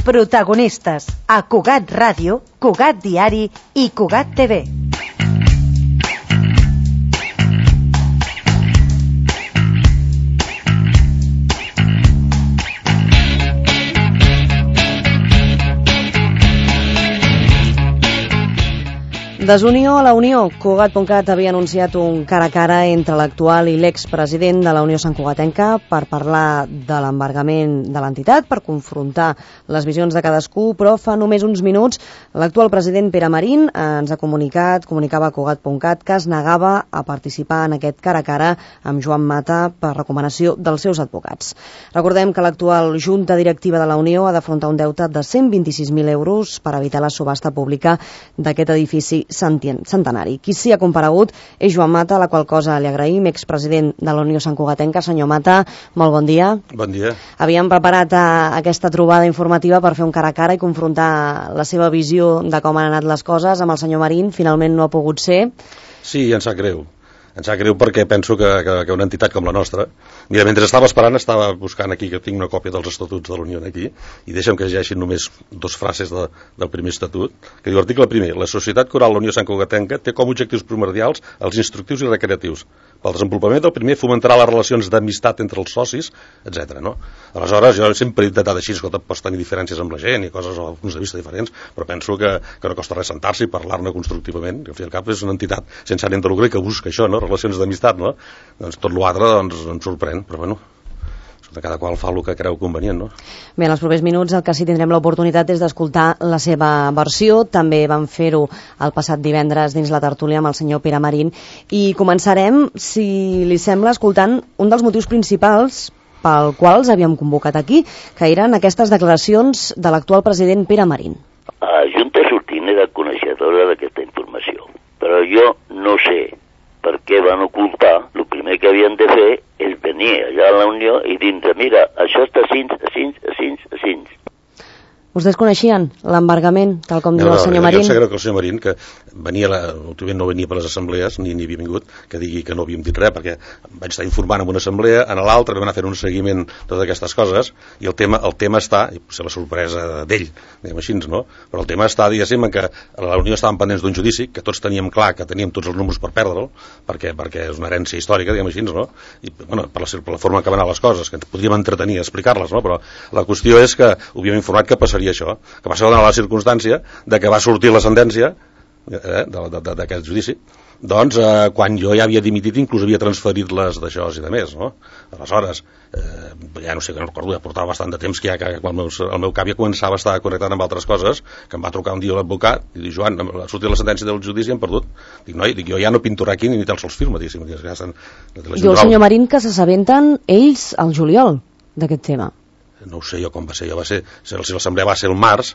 Protagonistes a Cugat Ràdio, Cugat Diari i Cugat TV. Desunió a la Unió. Cugat.cat havia anunciat un cara a cara entre l'actual i l'expresident de la Unió Santcugatenca per parlar de l'embargament de l'entitat, per confrontar les visions de cadascú, però fa només uns minuts l'actual president Pere Marín ens ha comunicava a Cugat.cat que es negava a participar en aquest cara a cara amb Joan Mata per recomanació dels seus advocats. Recordem que l'actual Junta Directiva de la Unió ha d'afrontar un deute de 126.000 euros per evitar la subhasta pública d'aquest edifici centenari. Qui s'hi ha comparegut és Joan Mata, la qual cosa li agraïm, expresident de la Unió Santcugatenca. Senyor Mata, molt bon dia. Bon dia. Havíem preparat aquesta trobada informativa per fer un cara a cara i confrontar la seva visió de com han anat les coses amb el senyor Marín. Finalment no ha pogut ser. Sí, em sap greu. Em sap greu perquè penso que una entitat com la nostra... Mira, mentre estava esperant, estava buscant aquí, que tinc una còpia dels estatuts de la Unió aquí, i deixa'm que llegeixin només dos frases del primer estatut, que diu, article primer, la Societat Coral La Unió Santcugatenca té com a objectius primordials els instructius i recreatius. Pel desenvolupament del primer fomentarà les relacions d'amistat entre els socis, etc. No? Aleshores, jo sempre he intentat així, escolta, pots tenir diferències amb la gent i coses o punts de vista diferents, però penso que no costa res sentar-se i parlar-ne constructivament, que al fi i al cap és una entitat sense ànim de lucre que busca això, no? Relacions d'amistat, no? Doncs tot l'altre doncs, em sorprèn, però bueno, cada qual fa el que creu convenient, no? Bé, en els propers minuts el que sí tindrem l'oportunitat és d'escoltar la seva versió. També vam fer-ho el passat divendres dins la tertúlia amb el senyor Pere Marín i començarem, si li sembla, escoltant un dels motius principals pel qual els havíem convocat aquí, que eren aquestes declaracions de l'actual president Pere Marín. La Junta sortint era coneixedora d'aquesta informació, però jo no sé per què van ocultar. El primer que havien de fer és venir allà a la Unió i dir, mira, això està així. Vostès coneixien l'embargament, tal com diu el senyor Marín? Jo sé que el senyor Marín, que venia, últimament no venia per les assemblees, ni havia vingut, que digui que no havíem dit res, perquè vaig estar informant en una assemblea, en l'altra vam anar fent un seguiment de totes aquestes coses, i el tema està, i potser la sorpresa d'ell, diguem així, no? Però el tema està, diguéssim, que a la Unió estàvem pendents d'un judici, que tots teníem clar que teníem tots els números per perdre'l, perquè és una herència històrica, diguem així, no? I, bueno, per la forma que van anar les coses, que ens podríem entretenir a explicar-les, no? Però la qüestió és que ho havíem informat que passaria això, que va ser la circumstància de que va sortir la sentència d'aquest judici, doncs quan jo ja havia dimitit inclús havia transferit les d'això i de més, no? Aleshores, ja no sé, que no recordo, ja portava bastant de temps que ja quan el meu cap ja començava a estar connectat amb altres coses, que em va trucar un dia l'advocat i diu, Joan, ha sortit la sentència del judici i hem perdut. Dic, noi, jo ja no pinto aquí ni te'ls sols firma, diguéssim. I el senyor Marín, que s'assabenten ells al juliol d'aquest tema? No ho sé jo com va ser, si l'assemblea va ser el març,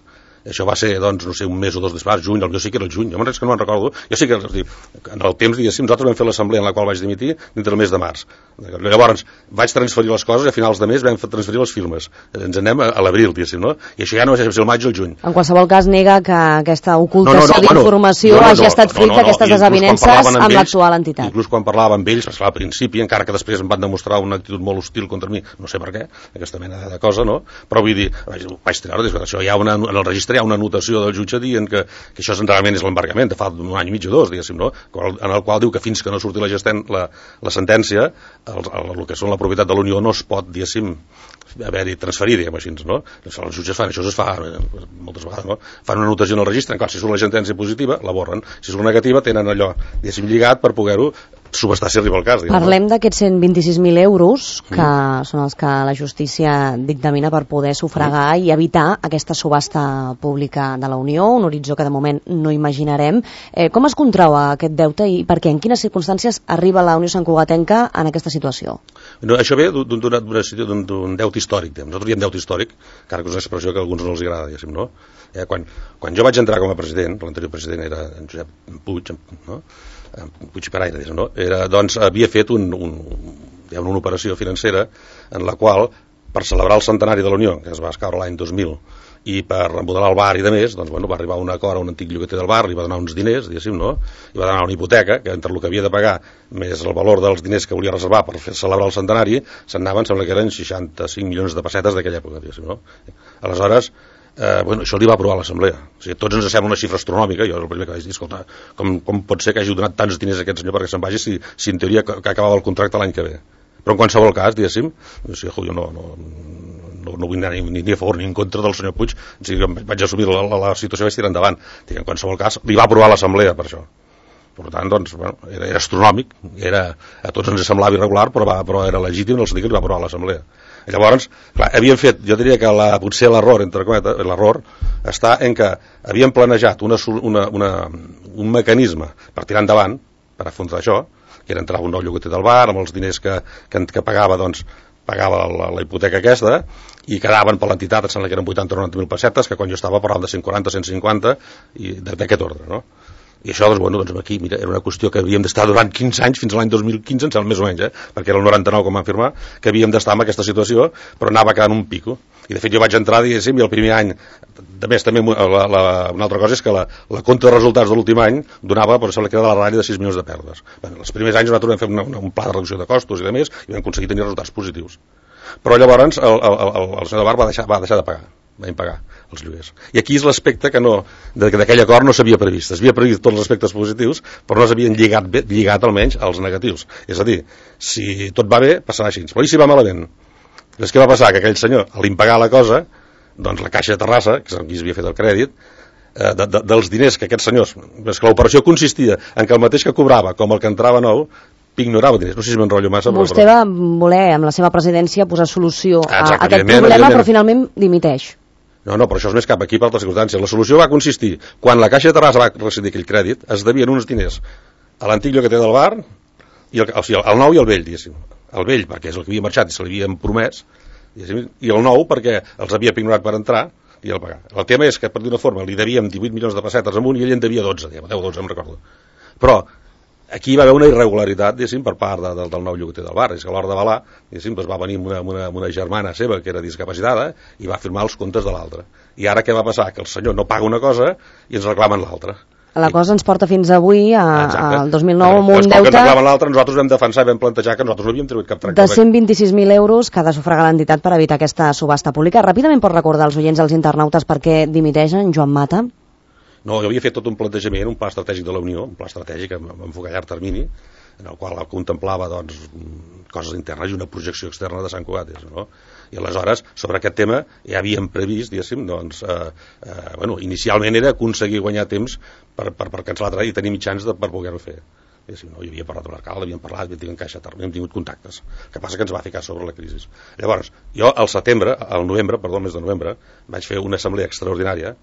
això va ser, doncs, no sé, un mes o dos després, juny, jo sí que era el juny, jo és que no me'n recordo, jo sí que, en el temps, diguéssim, nosaltres vam fer l'assemblea en la qual vaig dimitir dintre el mes de març. Llavors, vaig transferir les coses i a finals de mes vam transferir les firmes. Ens anem a l'abril, diguéssim, no? I això ja no sé si el maig o el juny. En qualsevol cas, nega que aquesta ocultació d'informació hagi estat fruit d'aquestes desavinences amb l'actual entitat. Inclús quan parlava amb ells, al principi, encara que després em van demostrar una actitud molt hostil contra mi, no sé per què, aquesta mena de cosa, no? Però vull dir, vaig treure, això hi ha en el registre hi ha una anotació del jutge dient que això realment és l'embargament de fa un any i mig o dos, diguéssim, no? En el qual diu que fins que no surti la sentència, el que són la propietat de la Unió no es pot, diguéssim, haver-hi transferir, diguem així, no? Els jutges fan això, es fa moltes vegades, no? Fan una anotació en el registre, clar, si surt la sentència positiva, la borren, si surt negativa, tenen allò, diguéssim, lligat per poder-ho subestar si arriba el cas. Parlem d'aquests 126.000 euros, que són els que la justícia dictamina per poder sufragar i evitar aquesta subhasta pública de la Unió, un horitzó que de moment no imaginarem. Com es contrau aquest deute i per què? En quines circumstàncies arriba la Unió Santcugatenca en aquesta situació? No, això ve d'un deute històric. Nosaltres diem deute històric, encara que és una expressió que a alguns no els agrada, diguéssim, no? Quan jo vaig entrar com a president, l'anterior president era en Josep Puig, no? Puig i Peraire, no? Doncs havia fet una operació financera en la qual, per celebrar el centenari de la Unió, que es va escaure l'any 2000, i per remodelar el bar i de més, doncs, bueno, va arribar a un acord a un antic llogater del bar, li va donar uns diners, diguéssim, no? I va donar una hipoteca, que entre el que havia de pagar més el valor dels diners que volia reservar per fer celebrar el centenari, se'n anaven, sembla que eren 65 milions de pessetes d'aquella època, diguéssim, no? Aleshores, bueno, això li va aprovar l'Assemblea. O sigui, tots ens sembla una xifra astronòmica. Jo el primer que vaig dir, escolta, com pot ser que hagi donat tants diners a aquest senyor perquè se'n vagi si en teoria que acabava el contracte l'any que ve? Però en qualsevol cas, diguéssim, o sigui, jo no vull anar ni a favor ni en contra del senyor Puig, o sigui, vaig assumir la situació i vaig tirar endavant. En qualsevol cas, li va aprovar l'Assemblea per això. Per tant, doncs, bueno, era astronòmic, a tots ens semblava irregular, però era legítim el sentit que li va aprovar l'Assemblea. Llavors, clar, havíem fet, jo diria que potser l'error, entre cometes, l'error està en que havíem planejat un mecanisme per tirar endavant, per afrontar això, que era entrar un nou llogater del bar, amb els diners que pagava, doncs, pagava la hipoteca aquesta, i quedaven per l'entitat, em sembla que eren 80 o 90.000 pessetes, que quan jo estava parlant de 140, 150, i d'aquest ordre, no? I això, doncs aquí, mira, era una qüestió que havíem d'estar durant 15 anys, fins a l'any 2015, em sembla més o menys, perquè era el 99 com vam firmar, que havíem d'estar en aquesta situació, però anava quedant un pico. I de fet jo vaig entrar, diguéssim, i el primer any, de més també una altra cosa és que la compte de resultats de l'últim any donava, però sembla que era de la ratlla de 6 milions de pèrdues. Bueno, els primers anys nosaltres vam fer un pla de reducció de costos i de més, i vam aconseguir tenir resultats positius. Però llavors el senyor de Bar va deixar de pagar. Vam pagar els lloguers. I aquí és l'aspecte que d'aquell acord no s'havia previst. S'havia previst tots els aspectes positius, però no s'havien lligat almenys als negatius. És a dir, si tot va bé, passarà així. Però i si va malament? Llavors què va passar? Que aquell senyor, a l'impagar la cosa, doncs la Caixa de Terrassa, que és qui havia fet el crèdit, dels diners que aquests senyors... És que l'operació consistia en que el mateix que cobrava com el que entrava nou, ignorava diners. No sé si m'enrotllo massa. Vostè va voler, amb la seva presidència, posar solució a aquest problema, però finalment dimiteix. No, però això és més cap aquí per altres circumstàncies. La solució va consistir, quan la Caixa de Terrassa va rescindir aquell crèdit, es devien uns diners a l'antic llogater del bar, el nou i el vell, diguéssim. El vell, perquè és el que havia marxat i se l'havien promès, i el nou perquè els havia ignorat per entrar i el pagar. El tema és que, per d'una forma, li devíem 18 milions de pessetes amunt i ell en devia 12, 10 o 12, em recordo. Però aquí va haver una irregularitat, diguéssim, per part del nou llogater del bar. És que a l'hora d'avalar, diguéssim, doncs va venir una germana seva que era discapacitada i va firmar els comptes de l'altra. I ara què va passar? Que el senyor no paga una cosa i ens reclamen l'altra. La cosa ens porta fins avui, al 2009, amb un deute... Que ens reclamen l'altra, nosaltres vam defensar i vam plantejar que nosaltres no havíem tregut cap tracte. De 126.000 euros que ha de sufragar l'entitat per evitar aquesta subhasta pública. Ràpidament pot recordar als oients, als internautes, per què dimiteixen Joan Mata? No, jo havia fet tot un plantejament, un pla estratègic de la Unió, un pla estratègic amb enfocat a llarg termini, en el qual contemplava doncs, coses internes i una projecció externa de Sant Cugat. No? I aleshores, sobre aquest tema, ja havíem previst, diguéssim, doncs, inicialment era aconseguir guanyar temps per cancel·lar i tenir mitjans per poder-ho fer. No, hi havia parlat amb l'alcalde, havíem parlat, havíem tingut contactes. El que passa que ens va ficar sobre la crisi. Llavors, jo al mes de novembre, vaig fer una assemblea extraordinària,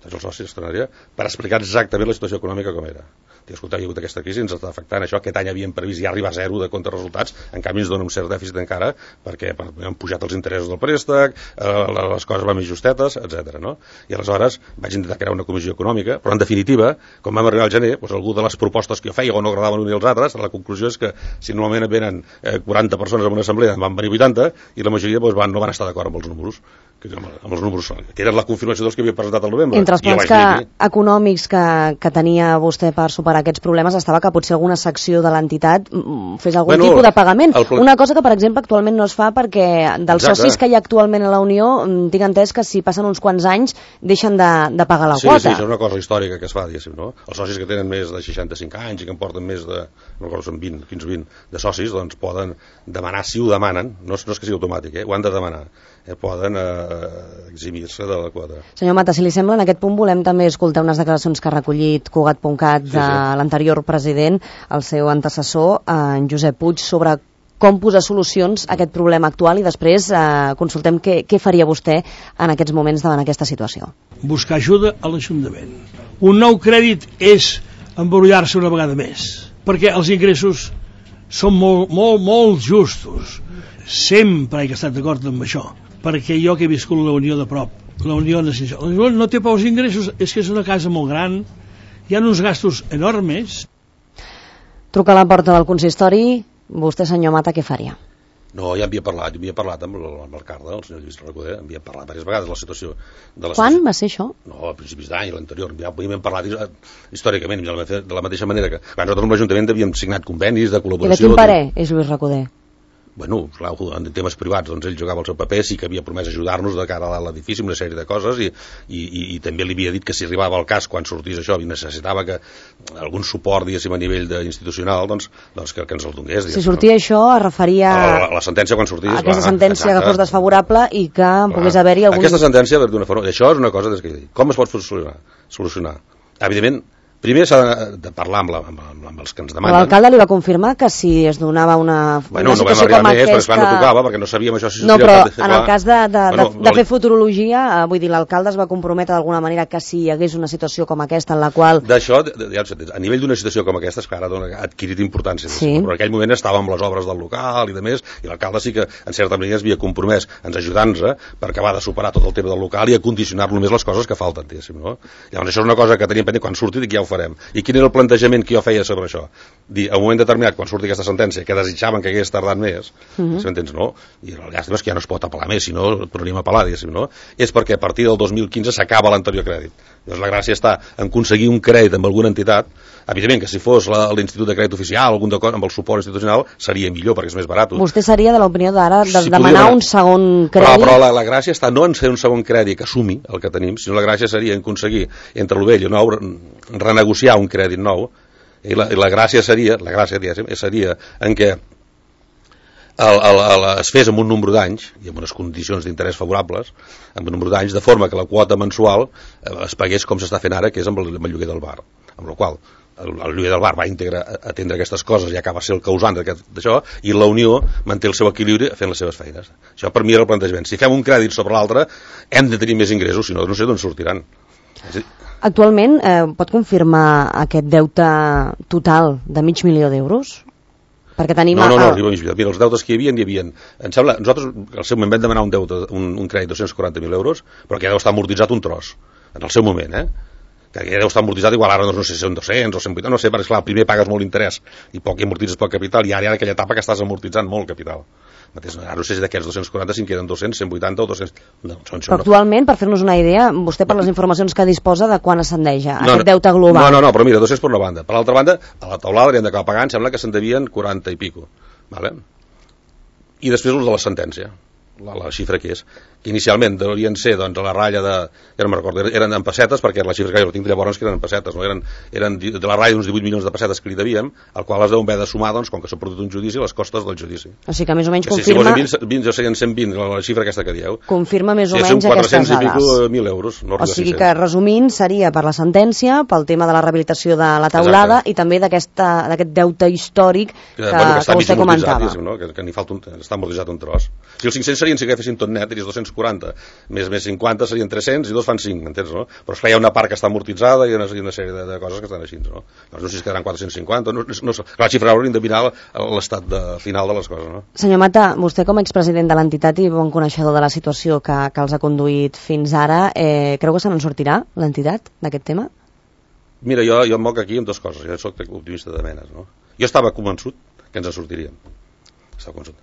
tots els socis extraordinària, per explicar exactament la situació econòmica com era. Escolta, hi ha hagut aquesta crisi, ens està afectant això, aquest any havíem previst ja arribar a zero de contrarresultats, en canvi ens dona un cert dèficit encara, perquè han pujat els interessos del préstec, les coses van més justetes, etc. No? I aleshores vaig intentar crear una comissió econòmica, però en definitiva, quan vam arribar al gener, doncs algú de les propostes que jo feia o no agradaven l'un i els altres, la conclusió és que si normalment venen 40 persones en una assemblea, en van venir 80, i la majoria doncs, no van estar d'acord amb els números, que eren la confirmació dels que havia presentat al novembre. Entre els plans econòmics que tenia vostè per superar aquests problemes estava que potser alguna secció de l'entitat fes algun tipus de pagament. Una cosa que, per exemple, actualment no es fa perquè dels socis que hi ha actualment a la Unió tinc entès que si passen uns quants anys deixen de pagar la quota. Sí, és una cosa històrica que es fa, diguéssim, no? Els socis que tenen més de 65 anys i que en porten més de, no recordo, són 20, 15-20 de socis, doncs poden demanar, si ho demanen, no és que sigui automàtic, ho han de demanar, poden eximir-se de la quota. Senyor Mata, si li sembla, en aquest punt volem també escoltar unes declaracions que ha recollit Cugat.cat de l'anterior president, el seu antecessor, en Josep Puig, sobre com posar solucions a aquest problema actual i després consultem què faria vostè en aquests moments davant aquesta situació. Buscar ajuda a l'Ajuntament. Un nou crèdit és embrollar-se una vegada més, perquè els ingressos són molt justos. Sempre he estat d'acord amb això, perquè jo que he viscut la Unió de prop, la Unió no té pocs ingressos, és que és una casa molt gran, hi ha uns gastos enormes. Truca a la porta del consistori, vostè, senyor Mata, què faria? No, ja havia parlat amb l'alcalde, el senyor Lluís Recoder, havia parlat diverses vegades de la situació. Quan va ser això? No, a principis d'any, l'anterior, ja havíem parlat històricament, de la mateixa manera que nosaltres amb l'Ajuntament havíem signat convenis de col·laboració. I de quin parer és Lluís Recoder? Bueno, clar, en temes privats, doncs ell jugava el seu paper, sí que havia promès ajudar-nos de cara a l'edifici, una sèrie de coses, i també li havia dit que si arribava al cas, quan sortís això, i necessitava que algun suport, diguéssim, a nivell institucional, doncs que ens el donés. Si sortia això, es referia a la sentència quan sortís. Aquesta sentència que fos desfavorable i que pogués haver-hi algun... Aquesta sentència, d'una forma... Això és una cosa que com es pot solucionar? Evidentment, primer s'ha de parlar amb els que ens demanen. L'alcalde li va confirmar que si es donava una situació com aquesta... Però esclar, no tocava, perquè no sabíem això. No, però en el cas de fer futurologia, vull dir, l'alcalde es va comprometre d'alguna manera que si hi hagués una situació com aquesta en la qual... D'això, a nivell d'una situació com aquesta, és que ara ha adquirit importància. Sí. Però en aquell moment estava amb les obres del local i de més, i l'alcalde sí que, en certa manera, es havia compromès ens ajudant-nos per acabar de superar tot el tema del local i a condicionar només les coses que falten, diguéssim, no? Llavors, això és una cosa que teníem pendent quan surti, que ja ho farem. I quin era el plantejament que jo feia sobre això? Dir, a un moment determinat, quan surti aquesta sentència, que desitjaven que hagués tardat més, si m'entens, no? I el llàstima és que ja no es pot apel·lar més, si no, tornaríem a apel·lar, diguéssim, no? És perquè a partir del 2015 s'acaba l'anterior crèdit. Llavors la gràcia està en aconseguir un crèdit amb alguna entitat. Evidentment que si fos l'Institut de Crèdit Oficial, algun d'acord amb el suport institucional, seria millor, perquè és més barat. Vostè seria de l'opinió d'ara de demanar un segon crèdit? Però la gràcia està no en fer un segon crèdit que assumi el que tenim, sinó la gràcia seria en aconseguir entre el vell i el nou renegociar un crèdit nou, i la gràcia seria en què es fes amb un nombre d'anys i amb unes condicions d'interès favorables, amb un nombre d'anys, de forma que la quota mensual es pagués com s'està fent ara, que és amb el lloguer del bar, amb la qual el lloguer del bar va atendre aquestes coses i acaba ser el causant d'això, i la Unió manté el seu equilibri fent les seves feines. Això per mi era el plantejament. Si fem un crèdit sobre l'altre hem de tenir més ingressos, si no, no sé d'on sortiran. Actualment pot confirmar aquest deute total de $500.000? Perquè tenim... No, arriba a mig milió. Mira, els deutes que hi havia... Em sembla, nosaltres al seu moment vam demanar un crèdit de 240.000 euros, però que ja deu estar amortitzat un tros, en el seu moment, que ja deu estar amortitzat, igual ara no sé si són 200 o 180, no sé, perquè esclar, primer pagues molt interès i poc amortitzes poc capital, i ara hi ha aquella etapa que estàs amortitzant molt capital. Ara no sé si d'aquests 240 si en queden 200, 180 o 200... Però actualment, per fer-nos una idea, vostè per les informacions que disposa, de quan ascendeix aquest deute global? No, però mira, 200 per una banda. Per l'altra banda, a la taulada l'hem d'acabar pagant, sembla que se'n devien 40 i pico. Vale? I després els de la sentència, la xifra que és, que inicialment deurien ser doncs, a la ratlla de... Ja no me'n recordo, eren en pessetes, perquè la xifra que jo tinc llavors que eren en pessetes, no? Eren de la ratlla d'uns 18 milions de pessetes que li devíem, al qual les devem haver de sumar, doncs, com que s'ha perdut un judici, les costes del judici. O sigui que més o menys confirma... Si fos 20, jo serien 120, la xifra aquesta que dieu. Confirma més o menys aquestes dades. 400.000 euros, no arriba a 600. O sigui que, resumint, seria per la sentència, pel tema de la rehabilitació de la taulada, i també d'aquest deute històric que vostè comentava. No? Que n'hi falta està amortitzat un tros. Si els 500 serien, si que fessin tot net, diries 240, més 50 serien 300 i dos fan 5, m'entens, no? Però esclar, hi ha una part que està amortitzada i una sèrie de coses que estan així, no? No sé si es quedaran 450, no sé. Clar, la xifra hauríem de mirar l'estat final de les coses, no? Senyor Mata, vostè com a expresident de l'entitat i bon coneixedor de la situació que els ha conduït fins ara, creu que se n'en sortirà l'entitat d'aquest tema? Mira, jo em moc aquí amb dues coses, jo soc optimista de menes, no? Jo estava convençut que ens en sortiríem.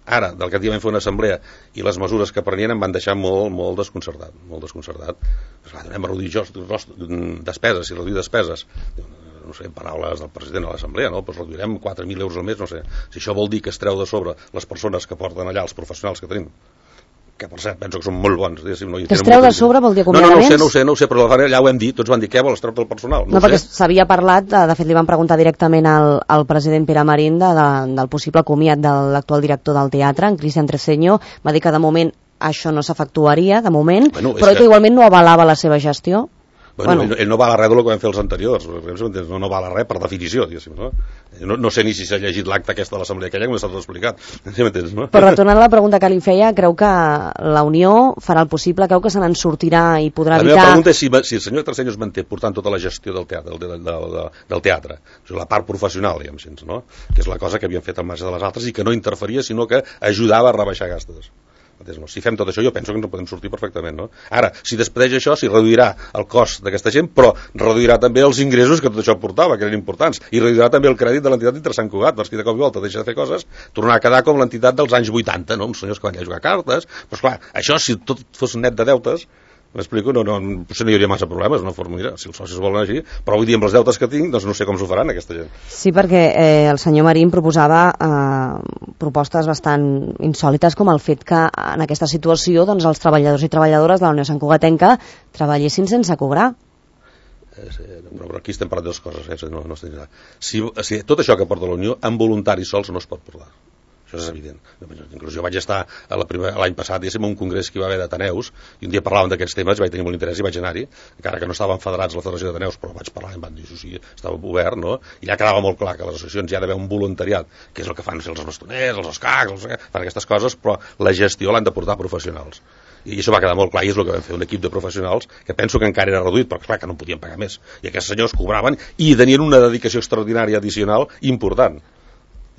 Ara, del que vam fer una assemblea i les mesures que prenien em van deixar molt desconcertat, anem a reduir despeses, no sé, en paraules del president a l'assemblea, no? Doncs reduirem 4.000 euros al mes, no sé, si això vol dir que es treu de sobre les persones que porten allà, els professionals que tenim, que per cert penso que són molt bons, no? Que es treu de sobre vol dir acomiadaments? No ho sé, però allà ho hem dit, tots van dir, què vols treure del personal? No, perquè s'havia parlat, de fet li van preguntar directament al president Pere Marín del possible comiat de l'actual director del teatre, en Cristian Treseño, va dir que de moment això no s'efectuaria, de moment, però que igualment no avalava la seva gestió. Bueno. Ell no val a res del que vam fer els anteriors, no val a res per definició, no? No sé ni si s'ha llegit l'acte aquesta de l'assemblea aquella, com està tot explicat, no? Però retornant a la pregunta que li feia, creu que la Unió farà el possible, creu que se n'en sortirà i podrà evitar... La meva pregunta és si el senyor Treseño es manté portant tota la gestió del teatre, o sigui, la part professional, no? Que és la cosa que havien fet al marge de les altres i que no interferia, sinó que ajudava a rebaixar gastos. Si fem tot això, jo penso que ens en podem sortir perfectament, no? Ara, si despedeix això, si reduirà el cost d'aquesta gent, però reduirà també els ingressos que tot això portava, que eren importants, i reduirà també el crèdit de l'entitat d'Inter Sant Cugat, perquè de cop i volta deixa de fer coses, tornarà a quedar com l'entitat dels anys 80, no? Uns senyors que van a jugar cartes, però esclar, això, si tot fos net de deutes, M'explico? Potser no hi hauria massa problemes, una forma, mira, si els socis volen així, però vull dir, amb les deutes que tinc, doncs no sé com s'ho faran aquesta gent. Sí, perquè el senyor Marín proposava propostes bastant insòlites, com el fet que en aquesta situació doncs, els treballadors i treballadores de la Unió Santcugatenca treballessin sense cobrar. Però aquí estem parlant de dues coses, no estic clar. Si tot això que porta la Unió, amb voluntaris sols no es pot portar. Això és evident. Inclús jo vaig estar l'any passat, diguéssim, a un congrés que hi va haver d'Ateneus, i un dia parlàvem d'aquests temes, vaig tenir molt interès i vaig anar-hi, encara que no estaven federats a la Federació d'Ateneus, però vaig parlar i em van dir, sí, estava obert, no? I ja quedava molt clar que a les associacions hi ha d'haver un voluntariat, que és el que fan els bastoners, els escacs, fan aquestes coses, però la gestió l'han de portar professionals. I això va quedar molt clar, i és el que vam fer, un equip de professionals que penso que encara era reduït, però clar que no en podien pagar més. I aquests senyors cobraven i tenien una dedicació extraordinària addicional important.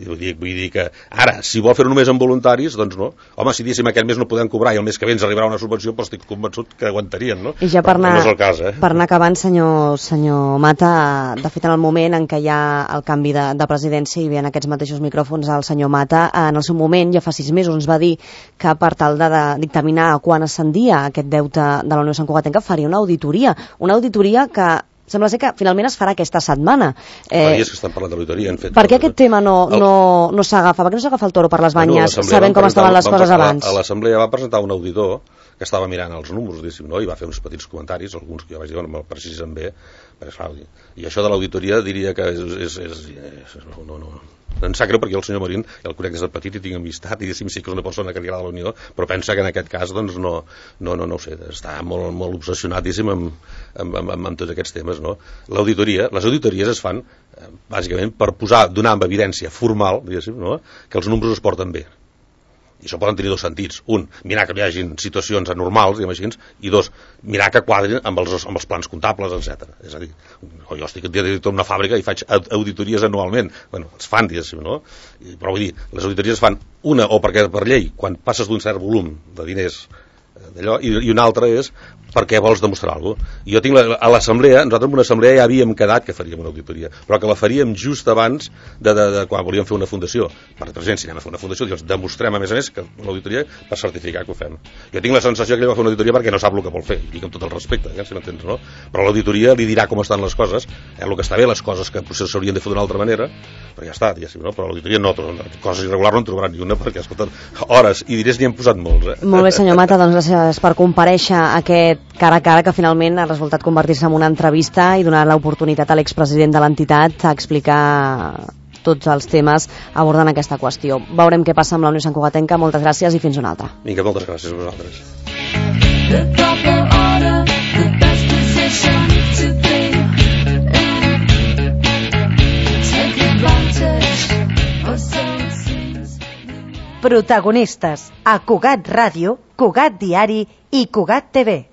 Vull dir que ara, si vol fer-ho només amb voluntaris, doncs no. Home, si diguéssim aquest mes no podem cobrar i el mes que ve ens arribarà una subvenció, però estic convençut que aguantarien, no? I ja per anar, no és el cas, per anar acabant, senyor Mata, de fet en el moment en què hi ha el canvi de presidència i ve en aquests mateixos micròfons el senyor Mata, en el seu moment, ja fa 6 mesos, ens va dir que per tal de dictaminar quan ascendia aquest deute de la Unió Santcugatenca faria una auditoria que sembla ser que finalment es farà aquesta setmana. Fa dies que estan parlant d'auditoria. Per què aquest tema no s'agafa? Per què no s'agafa el toro per les banyes, sabent com estaven les coses abans? A l'Assemblea va presentar un auditor que estava mirant els números, no? I va fer uns petits comentaris, alguns que jo vaig dir, no me'l precisen bé, i això de l'auditoria diria que em sap greu perquè el senyor Marín el conec des de petit i tinc amistat i sí que és una persona que li agrada la Unió, però pensa que en aquest cas doncs no ho sé, està molt obsessionadíssim amb tots aquests temes, no? Les auditories es fan bàsicament per donar amb evidència formal, diguéssim, no? Que els números es porten bé. I això poden tenir dos sentits. Un, mirar que no hi hagin situacions anormals, diguem així, i dos, mirar que quadrin amb els plans comptables, etc. És a dir, jo estic director d'una fàbrica i faig auditories anualment. Bueno, es fan, diguéssim, no? Però vull dir, les auditories es fan una, o perquè per llei, quan passes d'un cert volum de diners d'allò, i una altra és perquè vols demostrar alguna cosa. Jo tinc a l'assemblea, nosaltres en una assemblea ja havíem quedat que faríem una auditoria, però que la faríem just abans de quan volíem fer una fundació. Per exemple, si anem a fer una fundació, doncs demostrem a més que l'auditoria per certificar que ho fem. Jo tinc la sensació que ell va fer una auditoria perquè no sap el que vol fer, i dic amb tot el respecte, si m'entens, no? Però l'auditoria li dirà com estan les coses, el que està bé, les coses que potser s'haurien de fer d'una altra manera, però ja està, diguéssim, no? Però l'auditoria no, coses irregulars no en trobaran ni una, perquè escolten, hores i diners n'hi han posat molts. Molt bé, senyor Mata, doncs gràcies per comparèixer aquest cara a cara que finalment ha resultat convertir-se en una entrevista i donar l'oportunitat a l'expresident de l'entitat a explicar tots els temes abordant aquesta qüestió. Veurem què passa amb la Unió Santcugatenca. Moltes gràcies i fins una altra. Vinga, moltes gràcies a vosaltres. Protagonistes a Cugat Ràdio, Cugat Diari i Cugat TV.